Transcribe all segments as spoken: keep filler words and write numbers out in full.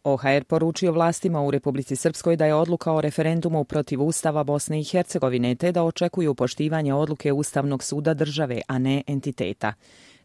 O H R poručio vlastima u Republici Srpskoj da je odluka o referendumu protiv Ustava Bosne i Hercegovine te da očekuju poštivanje odluke Ustavnog suda države, a ne entiteta.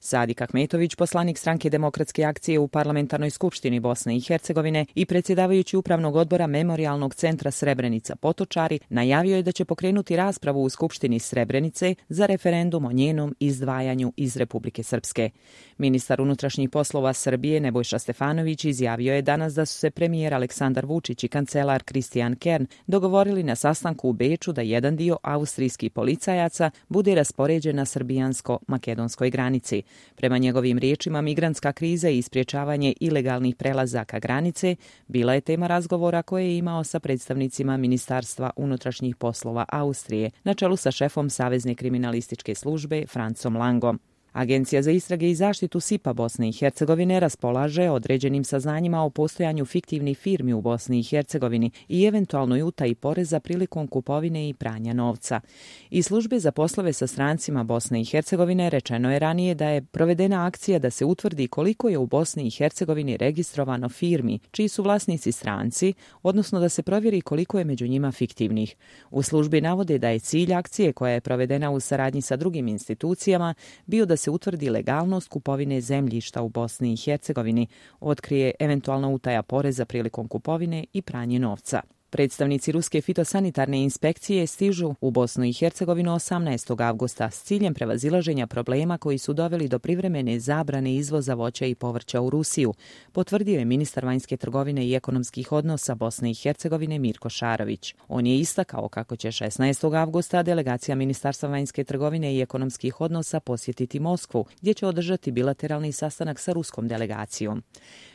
Sadik Ahmetović, poslanik Stranke demokratske akcije u Parlamentarnoj skupštini Bosne i Hercegovine i predsjedavajući Upravnog odbora Memorijalnog centra Srebrenica Potočari, najavio je da će pokrenuti raspravu u Skupštini Srebrenice za referendum o njenom izdvajanju iz Republike Srpske. Ministar unutrašnjih poslova Srbije Nebojša Stefanović izjavio je danas da su se premijer Aleksandar Vučić i kancelar Kristijan Kern dogovorili na sastanku u Beču da jedan dio austrijskih policajaca bude raspoređen na srbijansko-makedonskoj granici. Prema njegovim riječima, migrantska kriza i sprječavanje ilegalnih prelazaka granice bila je tema razgovora koje je imao sa predstavnicima Ministarstva unutrašnjih poslova Austrije, na čelu sa šefom Savezne kriminalističke službe Francom Langom. Agencija za istrage i zaštitu S I P-a Bosne i Hercegovine raspolaže određenim saznanjima o postojanju fiktivnih firmi u Bosni i Hercegovini i eventualnoj utaji poreza prilikom kupovine i pranja novca. Iz službe za poslove sa strancima Bosne i Hercegovine rečeno je ranije da je provedena akcija da se utvrdi koliko je u Bosni i Hercegovini registrovano firmi čiji su vlasnici stranci, odnosno da se provjeri koliko je među njima fiktivnih. U službi navode da je cilj akcije, koja je provedena u saradnji sa drugim institucijama, bio da se utvrdi legalnost kupovine zemljišta u Bosni i Hercegovini, otkrije eventualna utaja poreza prilikom kupovine i pranje novca. Predstavnici Ruske fitosanitarne inspekcije stižu u Bosnu i Hercegovinu osamnaestog avgusta s ciljem prevazilaženja problema koji su doveli do privremene zabrane izvoza voća i povrća u Rusiju, potvrdio je ministar vanjske trgovine i ekonomskih odnosa Bosne i Hercegovine Mirko Šarović. On je istakao kako će šesnaestog avgusta delegacija Ministarstva vanjske trgovine i ekonomskih odnosa posjetiti Moskvu, gdje će održati bilateralni sastanak sa ruskom delegacijom.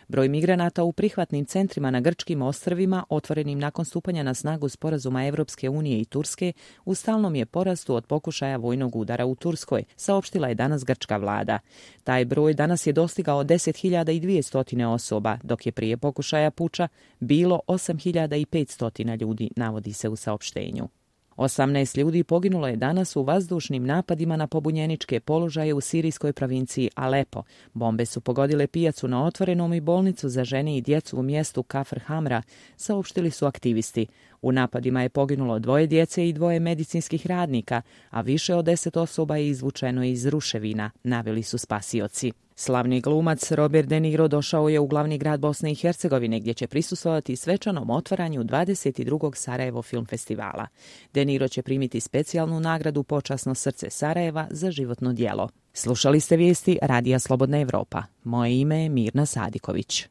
Broj migranata u prihvatnim centrima na grčkim ostrvima, otvorenim nakon stupanja na snagu sporazuma Evropske unije i Turske, u stalnom je porastu od pokušaja vojnog udara u Turskoj, saopštila je danas grčka vlada. Taj broj danas je dostigao deset hiljada dvjesto osoba, dok je prije pokušaja puča bilo osam hiljada petsto ljudi, navodi se u saopštenju. osamnaest ljudi poginulo je danas u vazdušnim napadima na pobunjeničke položaje u sirijskoj provinciji Alepo. Bombe su pogodile pijacu na otvorenom i bolnicu za žene i djecu u mjestu Kafr Hamra, saopštili su aktivisti. U napadima je poginulo dvoje djece i dvoje medicinskih radnika, a više od deset osoba je izvučeno iz ruševina, naveli su spasioci. Slavni glumac Robert De Niro došao je u glavni grad Bosne i Hercegovine, gdje će prisustvovati svečanom otvaranju dvadeset drugog Sarajevo film festivala. De Niro će primiti specijalnu nagradu Počasno srce Sarajeva za životno djelo. Slušali ste vijesti Radija Slobodna Evropa. Moje ime je Mirna Sadiković.